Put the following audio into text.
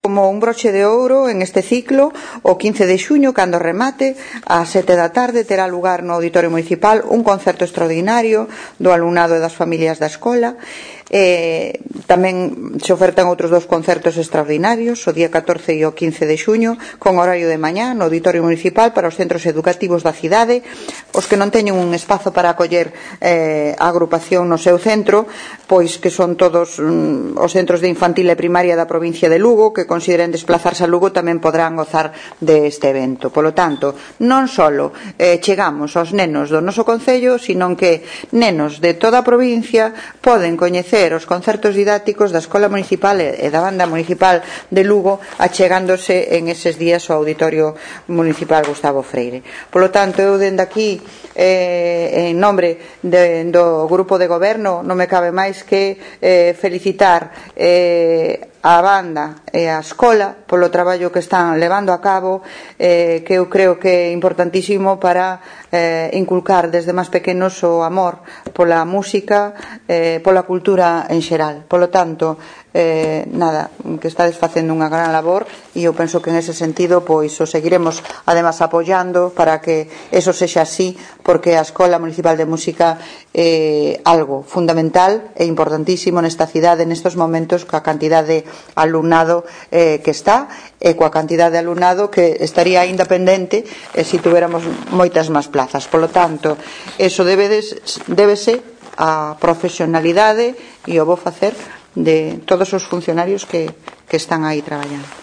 como un broche de ouro en este ciclo o 15 de xuño, cando remate ás 7 da tarde terá lugar no Auditorio Municipal un concerto extraordinario do alumnado e das familias da escola. Tamén se ofertan outros dos concertos extraordinarios o día 14 e o 15 de xuño con horario de mañá no Auditorio Municipal para os centros educativos da cidade. Os que non teñen un espazo para acoller a agrupación no seu centro, pois que son todos os centros de infantil e primaria da provincia de Lugo, que consideren desplazarse a Lugo, tamén podrán gozar deste evento. Polo tanto, non só chegamos aos nenos do noso concello, sino que nenos de toda a provincia poden coñecer os concertos didácticos da Escola Municipal e da Banda Municipal de Lugo, achegándose en eses días ao Auditorio Municipal Gustavo Freire. Polo tanto, eu dende aquí, en nombre do Grupo de Goberno, non me cabe máis que felicitar a banda e a escola polo traballo que están levando a cabo, que eu creo que é importantísimo para inculcar desde máis pequenos o amor pola música, pola cultura en xeral. Polo tanto, nada, que estades facendo unha gran labor e eu penso que en ese sentido pois o seguiremos además apoiando para que eso sexa así, porque a Escola Municipal de Música é algo fundamental e importantísimo nesta cidade nestes momentos, coa cantidad de alumnado que está e coa cantidad de alumnado que estaría aínda pendente se tuviéramos moitas máis plazas. Polo tanto, eso débese á profesionalidade e ao bo facer de todos os funcionarios que están aí traballando.